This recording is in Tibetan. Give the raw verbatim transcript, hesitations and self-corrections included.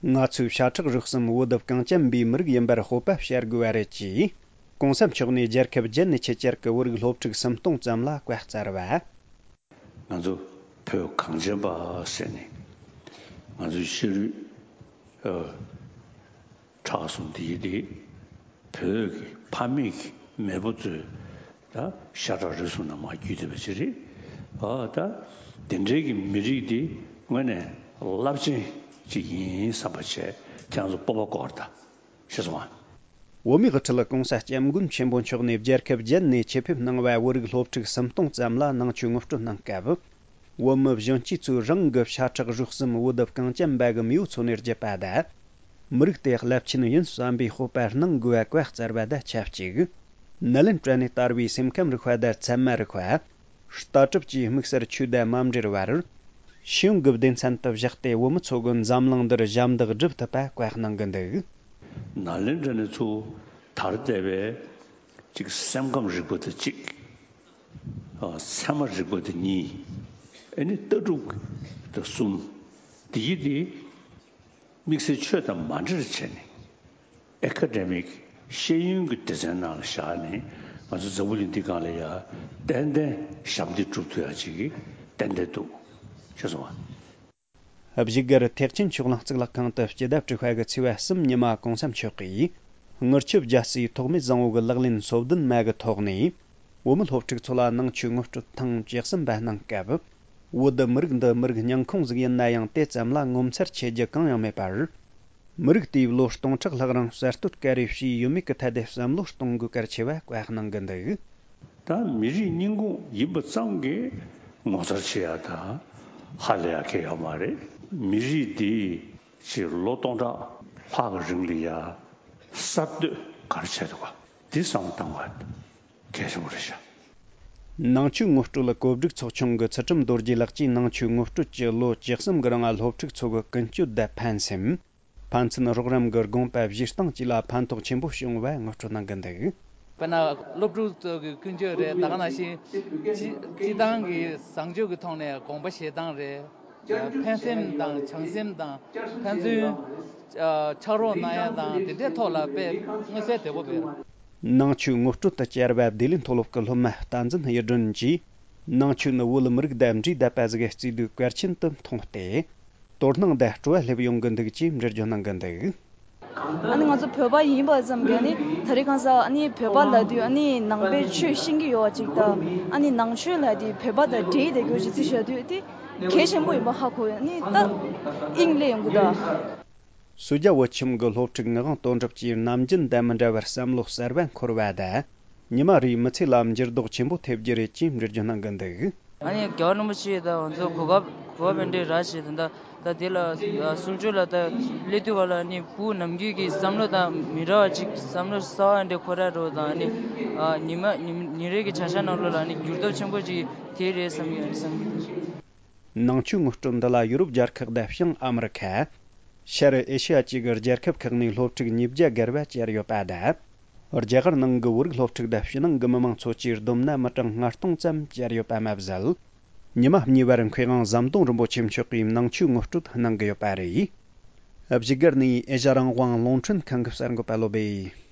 ང་ཚོས་ཤ་ཁྲག་རུས་གསུམ་བོད་གངས་ཅན་པའི་མི་རིགས་ཡིན་པར་སྤོབས་པ་བྱ་དགོས་པ་རེད་ཅེས། གོང་ས་མཆོག་ནས་རྒྱལ་ཁབ་བརྒྱད་ནས་ཆེད་བཅར་གྱི་བོད་རིགས་སློབ་ཕྲུག་སུམ་སྟོང་ཙམ་ལ་བཀའ་སྩལ་བ། ང་ཚོ་བོད་གངས་ཅན་པ་ཟེར་ནས་ང་ཚོའི་ཤ་རུས་ཁྲག་གསུམ་དེ་ཡི་དེ་བོད་ཀྱི་ཕ་མེས་ཀྱི་མེས་པོ་ཚོའི་ད་ཤ་ཁྲག་རུས་གསུམ་ནང་མར་བརྒྱུད་བསྡད་པ་ཅིག་རེད། ཨ་ད་དེ་འདྲའི་གི་མི་རིགས་དེ་དངོས་གནས་རླབས་ཆེན་ཅིག་ཡིན་བསམ་པ་བྱས། ཁྱེད་རང་ཚོ་སྤོབས་པ་སྐོར་ད་ཤེས་སོང་ཨ། བོད་མིའི་དབུ་ཁྲིད་གོང་ས་སྐྱབས་མགོན་ཆེན་པོ་མཆོག་ནས་རྒྱལ་ཁབ་བརྒྱད་ནས་ཆེད་ཕེབས་གནང་བའི་བོད་རིགས་སློབ་ཕྲུག་སུམ་སྟོང་ཙམ་ལ་ནང་ཆོས་ངོ་སྤྲོད་གནང་སྐབས། བོད་མི་གཞོན་སྐྱེས་ཚོས་རང་གི་ཤ་ཁྲག་རུས་གསུམ་བོད་གངས་ཅན་པ་གི་མེས་པོ་ཚོ་ནས་བརྒྱུད་པ་དང་། མི་རིགས་དེ་རླབས་ཆེན་ཡིན་བསམ་པའི་སྤོབས་པ་གནང་དགོས་པ་བཀའ་སྩལ་བ་དང་ཆབས་ཅིག་ནཱ་ལེནྡྲ་ནས་དར་བའི་སེམས་ཁམས་རིག་པ་དང་ཚད་མ་རིག་པ། ལྟ་གྲུབ་ཀྱི་དམིགས་བསལ་ཆོས་དང་མ་འབྲེལ་བར། ཤེས་ཡོན་གྱི་སྡེ་ཚན་དུ་བཞག་སྟེ་བོད་མི་ཚོ་གིས་འཛམ་གླིང་འདིར་ཞབས་འདེགས་སྒྲུབ་ཐུབ་པ་བཀའ་གནང་གི་འདུག་ནཱ་ལེནྡྲ་ནས་ཚུར་དར་བསྡད་པའི་གཅིག་སེམས་ཁམས་རིག་པ་དེ་གཅིག་ཨ། ཚད་མ་རིག་པ་དེ་གཉིས། ཨ་ནི་ལྟ་གྲུབ་དེ་གསུམ། དེ་ཡི་དེ་དམིགས་བསལ་ཆོས་དང་མ་འབྲེལ་བྱས་ནས་ཨེ་ཀ་ཌེ་མིག་ཤེས་ཡོན་གྱི་སྡེ་ཚན་ནང་ལ་བཞག་ནས་ང་ཚོ་འཛམ་བུ་གླིང་འདི་སྒང་ལ་ཡ་ཏན་ཏན་ཞབས་འདེགས་སྒྲུབ་ཐུབ་ཡ་ཅིག་གི་ཏན་ཏན་འདུག་ཤེས་སོང་ཨ། བཞུགས་སྒར་ཐེག་ཆེན་ཆོས་གླིང་གཙུག་ལག་ཁང་དུ་སྤྱི་ཟླ་དྲུག་པ་གི་ཚེས་པ་གསུམ་ཉི་མ་གོང་ས་མཆོག་གིས་དངུལ་ཆུ་རྒྱལ་སྲས་ཐོགས་མེད་བཟང་པོ་གི་ལག་ལེན་སོ་བདུན་མ་གི་ཐོག་ནས་བོད་མི་སློབ་ཕྲུག་ཚོ་ལ་ནང་ཆོས་ངོ་སྤྲོད་ཐེངས་བཅུ་གསུམ་པ་གནང་སྐབས། བོད་མི་རིགས་འདི་མི་རིགས་རྙིང་ཁོངས་ཟིག་ཡིན་ན་ཡང་དེ་ཙམ་ལ་ངོ་མཚར་ཆེ་རྒྱུ་གང་ཡང་མེད་པར། མི་རིགས་དེས་ལོ་སྟོང་ཕྲག་ལྷག་རིང་གསར་གཏོད་ག་རེ་བྱས་ཡོད་མེད་ཀྱི་ཐད་དེ་བསམ་བློ་གཏོང་དགོས་གལ་ཆེ་བ་བཀའ་གནང་གི་འདུག་ད་མི་རིགས་རྙིང་ཁུངས་ཡིན་པ་ཙམ་གྱིས་ངོ་མཚར་ཆེ་ཡ་དང་ཧ་ལས་ཡ་གང་ཡང་ཡོད་མ་རེད། མི་རིགས་འདི་ཕྱིར་ལོ་སྟོང་ཕྲག་ལྷག་གི་རིང་ལ་ཡ་གསར་གཏོད་ག་རེ་བྱས་འདུག་ག་འདི་བསམ་བློ་བཏང་དགོས་གལ་ཆེན་པོ་རེད་ཤག་ནང་ཆོས་ངོ་སྤྲོད་ལ་གོ་སྒྲིག་ཚོགས་ཆུང་གི་ཚུལ་ཁྲིམས་རྡོ་རྗེ་ལགས་ཀྱིས་ནང་ཆོས་ངོ་སྤྲོད་ཀྱི་ལོ་བཅུ་གསུམ་གྱི་རིང་སློབ་ཕྲུག་ཚོ་གི་ཀུན་སྤྱོད་དང་ཕན་སེམས། ཕན་ཚུན་རོགས་རམ་གྱི་དགོངས་པ་བཞེས་སྟངས་བཅས་ལ་ཕན་ཐོགས་ཆེན་པོ་བྱུང་བ་ངོ་སྤྲོད་གནང་གི་འདུག་དཔེར་ན་སློབ་ཕྲུག་ཚོ་གི་ཀུན་སྤྱོད་རེད། ད་ག་ནང་བཞིན་སྤྱི་སྤྱི་བཏང་གི་བཟང་སྤྱོད་ཀྱི་ཐོག་ནས་དགོངས་པ་བཞེས་སྟངས་རེད། ཕན་སེམས་དང་བྱམས་སེམས་དང་ཕན་ཚུན་ཕྱག་རོགས་གནང་ཡ་དང་དེ་འདྲའི་ཐོག་ལ་དཔེ་མངོན་གསལ་དོད་པོ་རེད། ནང་ཆོས་ངོ་སྤྲོད་དུ་བཅར་བ་བདེ་ལེགས་མཐོ་སློབ་ཀྱི་སློབ་མ་བསྟན་འཛིན་གཡུ་སྒྲོན་གྱིས། ནང་ཆོས་ནི་བོད་མི་རིགས་དང་འདྲེས་བསྡད་པ་ཟིག་གི་བརྩེ་དུང་གལ་ཆེན་དུ་མཐོང་སྟེ། དོ་སྣང་དང་སྤྲོ་བ་སླེབས་ཡོང་གི་འདུག་ཅེས་འགྲེལ་བརྗོད་གནང་གི་འདུག་ཨ་ནི་ང་ཚོ་བོད་པ་ཡིན་པ་ཙམ་གྱིས་ནི་ད་རེས་གང་ཟག་ཨ་ནི་བོད་པ་ལབ་དུས་ཨ་ནི་ནང་པའི་ཆོས་ཤེས་ཀྱི་ཡོད་པ་ཅིག་དང་ཨ་ནི་ནང་ཆོས་ལབ་དུས་བོད་པ་དང་འདྲེས་བསྡད་རྒྱུ་ཅིག་རྩིས་བཞག་དུས་དེ་གལ་ཆེན་པོ་ཡིན་པ་ཧ་གོ་ཡ་ནི་ད་དབྱིངས་སླེབས་ཡོང་གི་འདུག་སུ་ཇཱ་བོད་ཁྱིམ་གྱི་སློབ་ཕྲུག་ངག་དབང་དོན་གྲུབ་ཀྱིས་ནམ་རྒྱུན་དང་མི་འདྲ་བར་བསམ་བློ་གསར་བ་འཁོར་བ་དང་། ཉི་མ་རེའི་མི་ཚེ་ལ་འགྱུར་ལྡོག་ཆེན་པོ་ཐེབས་རྒྱུ་རེད་ཅེས་འགྲེལ་བརྗོད་གནང་གི་འདུག་ཨ་ནི་རྒྱལ་བ་རིན་པོ་ཆེ་དང་ང་ཚོ་གོ་སྐབས་གོ་སྐབས་འདི་རག་བྱས་ད་ད་དེ་ལ་གསུང་ཆོས་ལ་ད་སླེབས་དུས་བ་ལ་ནི་བུ་ནམ་རྒྱུན་གྱི་བསམ་བློ་དང་མི་འདྲ་བ་ཅིག་བསམ་བློ་གསར་བ་འདྲ་འཁོར་ར་རོ་དང་ནི་ཉི་མ་ཉིན་རེ་གི་བྱ་གཞག་ནང་ལོགས་ལ་ནི་འགྱུར་ལྡོག་ཆེན་པོ་ཅིག་ཐེབས་རེད་བསམ་གྱི་ཡོད་བསམ་གྱི་འདུག་ནང་ཆོས་ངོ་སྤྲོད་འདི་ལ་ཡུ་རོབ་རྒྱལ་ཁག་དང་བྱང་ཨ་མི་རི་ཁ། ཤར་ཨེ་ཤི་ཡ་བཅས་ཀྱི་རྒྱལ་ཁབ་ཁག་ནས་སློབ་ཕྲུག་ཉིས་བརྒྱ་བརྒལ་བ་བཅར་ཡོད་པ་དང་། རྒྱ་གར་ནང་གི་བོད་རིགས་སློབ་ཕྲུག་དང་ཕྱི་ནང་གི་མི་མང་ཚོ་བཅས་བསྡོམས་ན་མི་གྲངས་ལྔ་སྟོང་ཙམ་བཅར་ཡོད་པ་མ་ཟད། ཉི་མ་གཉིས་པར་མཁས་དབང་ཟམ་གདོང་རིན་པོ་ཆེ་མཆོག་གིས་ནང་ཆོས་ངོ་སྤྲོད་གནང་གི་ཡོད་པ་རེད། བཞུགས་སྒར་ནས་ཨེ་ཤ་རང་དབང་རླུང་འཕྲིན་ཁང་གི་གསར་འགོད་པ་བློ་སྦེ།